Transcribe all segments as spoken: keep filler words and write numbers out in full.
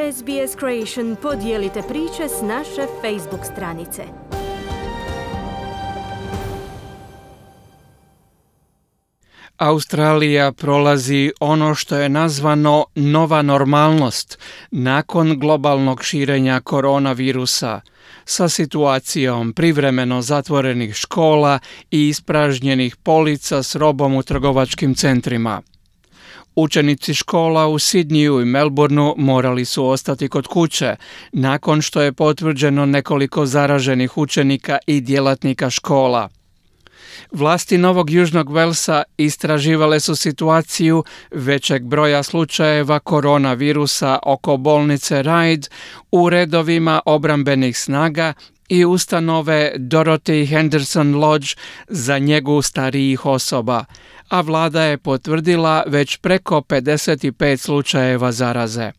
S B S Creation podijelite priče s naše Facebook stranice. Australija prolazi ono što je nazvano nova normalnost nakon globalnog širenja koronavirusa, sa situacijom privremeno zatvorenih škola i ispražnjenih polica s robom u trgovačkim centrima. Učenici škola u Sidniju i Melbourneu morali su ostati kod kuće nakon što je potvrđeno nekoliko zaraženih učenika i djelatnika škola. Vlasti Novog Južnog Velsa istraživale su situaciju većeg broja slučajeva koronavirusa oko bolnice Ryde u redovima obrambenih snaga i ustanove Dorothy Henderson Lodge za njegu starijih osoba, a vlada je potvrdila već preko pedeset pet slučajeva zaraze.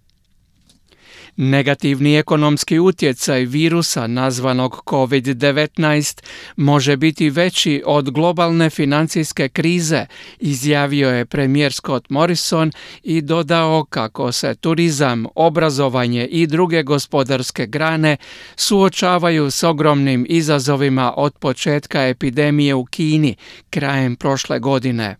Negativni ekonomski utjecaj virusa nazvanog covid devetnaest može biti veći od globalne financijske krize, izjavio je premijer Scott Morrison i dodao kako se turizam, obrazovanje i druge gospodarske grane suočavaju s ogromnim izazovima od početka epidemije u Kini krajem prošle godine.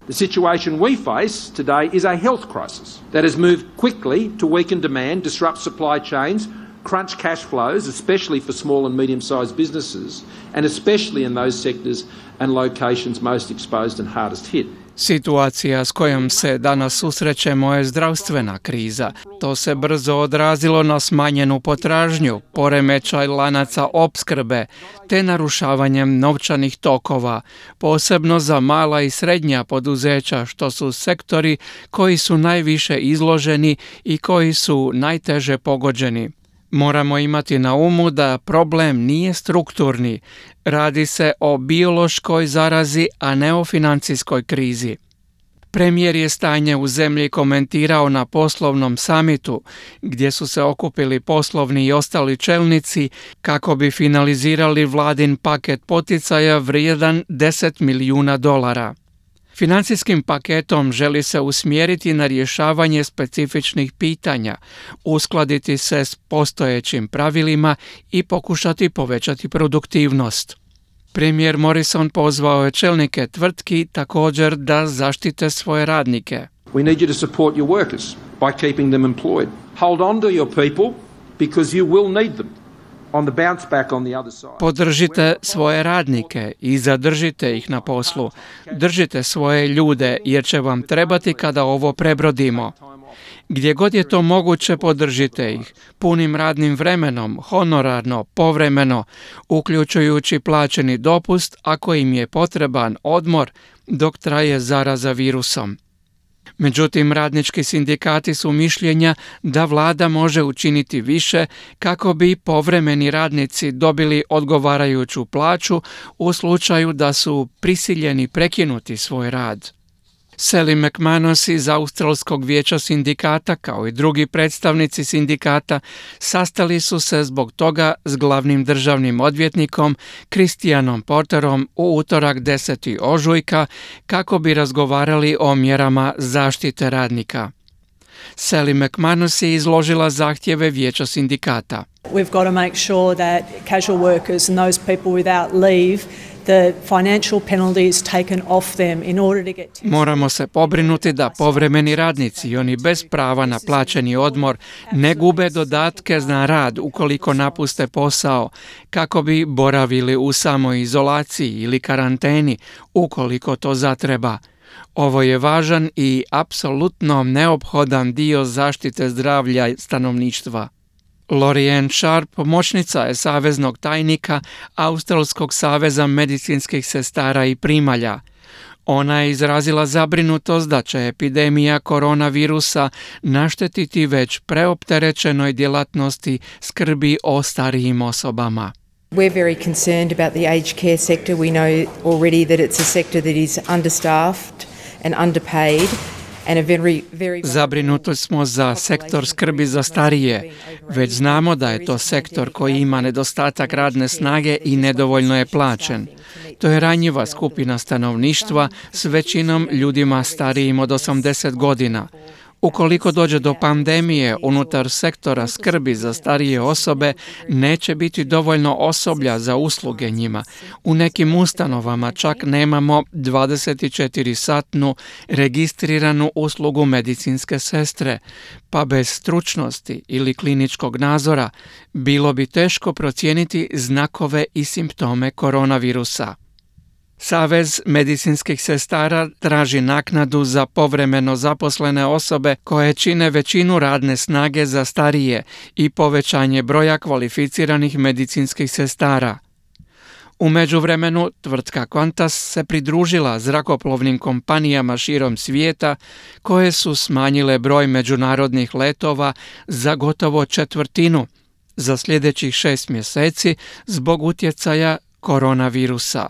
The situation we face today is a health crisis that has moved quickly to weaken demand, disrupt supply chains, crunch cash flows, especially for small and medium-sized businesses, and especially in those sectors and locations most exposed and hardest hit. Situacija s kojom se danas susrećemo je zdravstvena kriza. To se brzo odrazilo na smanjenu potražnju, poremećaj lanaca opskrbe, te narušavanjem novčanih tokova, posebno za mala i srednja poduzeća, što su sektori koji su najviše izloženi i koji su najteže pogođeni. Moramo imati na umu da problem nije strukturni, radi se o biološkoj zarazi, a ne o financijskoj krizi. Premijer je stanje u zemlji komentirao na poslovnom samitu, gdje su se okupili poslovni i ostali čelnici kako bi finalizirali vladin paket poticaja vrijedan deset milijuna dolara. Financijskim paketom želi se usmjeriti na rješavanje specifičnih pitanja, uskladiti se s postojećim pravilima i pokušati povećati produktivnost. Premijer Morrison pozvao je čelnike tvrtki također da zaštite svoje radnike. We need you to support your workers by keeping them employed. Hold on to your people because you will need them. Podržite svoje radnike i zadržite ih na poslu. Držite svoje ljude jer će vam trebati kada ovo prebrodimo. Gdje god je to moguće, podržite ih punim radnim vremenom, honorarno, povremeno, uključujući plaćeni dopust ako im je potreban odmor dok traje zaraza virusom. Međutim, radnički sindikati su mišljenja da vlada može učiniti više kako bi povremeni radnici dobili odgovarajuću plaću u slučaju da su prisiljeni prekinuti svoj rad. Sally McManus iz Australskog vijeća sindikata, kao i drugi predstavnici sindikata, sastali su se zbog toga s glavnim državnim odvjetnikom Christianom Porterom u utorak desetog ožujka kako bi razgovarali o mjerama zaštite radnika. Sally McManus je izložila zahtjeve vijeća sindikata. We've got to make sure that casual workers and those people without leave, the financial penalties taken off them in order to get... Moramo se pobrinuti da povremeni radnici i oni bez prava na plaćeni odmor ne gube dodatke na rad ukoliko napuste posao, kako bi boravili u samoizolaciji ili karanteni ukoliko to zatreba. Ovo je važan i apsolutno neophodan dio zaštite zdravlja stanovništva. Lorianne Sharp, pomoćnica je saveznog tajnika Australskog saveza medicinskih sestara i primalja. Ona je izrazila zabrinutost da će epidemija koronavirusa naštetiti već preopterećenoj djelatnosti skrbi o starijim osobama. We're very concerned about the aged care sector. We know already that it's a sector that is understaffed and underpaid. Zabrinuti smo za sektor skrbi za starije. Već znamo da je to sektor koji ima nedostatak radne snage i nedovoljno je plaćen. To je ranjiva skupina stanovništva s većinom ljudima starijim od osamdeset godina. Ukoliko dođe do pandemije unutar sektora skrbi za starije osobe, neće biti dovoljno osoblja za usluge njima. U nekim ustanovama čak nemamo dvadeset četiri satnu registriranu uslugu medicinske sestre, pa bez stručnosti ili kliničkog nadzora bilo bi teško procijeniti znakove i simptome koronavirusa. Savez medicinskih sestara traži naknadu za povremeno zaposlene osobe koje čine većinu radne snage za starije i povećanje broja kvalificiranih medicinskih sestara. U međuvremenu, tvrtka Qantas se pridružila zrakoplovnim kompanijama širom svijeta koje su smanjile broj međunarodnih letova za gotovo četvrtinu za sljedećih šest mjeseci zbog utjecaja koronavirusa.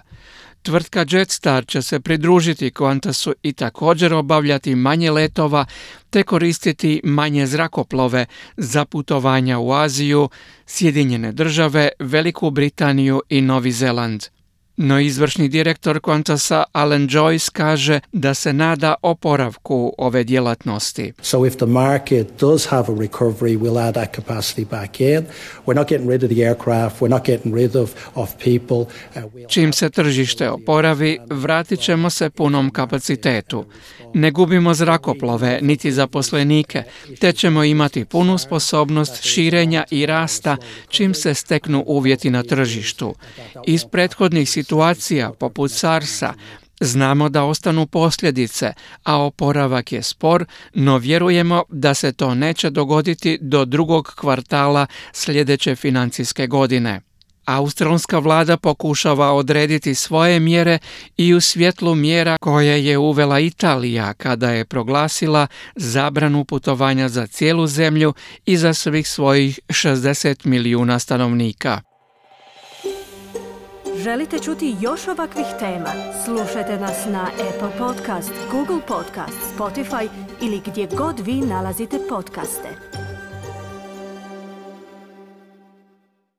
Tvrtka Jetstar će se pridružiti Qantasu i također obavljati manje letova te koristiti manje zrakoplove za putovanja u Aziju, Sjedinjene države, Veliku Britaniju i Novi Zeland. No izvršni direktor Qantasa Alan Joyce kaže da se nada oporavku ove djelatnosti. So if the market does have a recovery, we'll add that capacity back in. We're not getting rid of the aircraft, we're not getting rid of, of people. Uh, we'll... Čim se tržište oporavi, vratit ćemo se punom kapacitetu. Ne gubimo zrakoplove niti zaposlenike, te ćemo imati punu sposobnost širenja i rasta čim se steknu uvjeti na tržištu. Iz prethodnih situacija poput SARS-a znamo da ostanu posljedice, a oporavak je spor, no vjerujemo da se to neće dogoditi do drugog kvartala sljedeće financijske godine. Australska vlada pokušava odrediti svoje mjere i u svjetlu mjera koje je uvela Italija kada je proglasila zabranu putovanja za cijelu zemlju i za svih svojih šezdeset milijuna stanovnika. Želite čuti još ovakvih tema? Slušajte nas na Apple Podcast, Google Podcast, Spotify ili gdje god vi nalazite podcaste.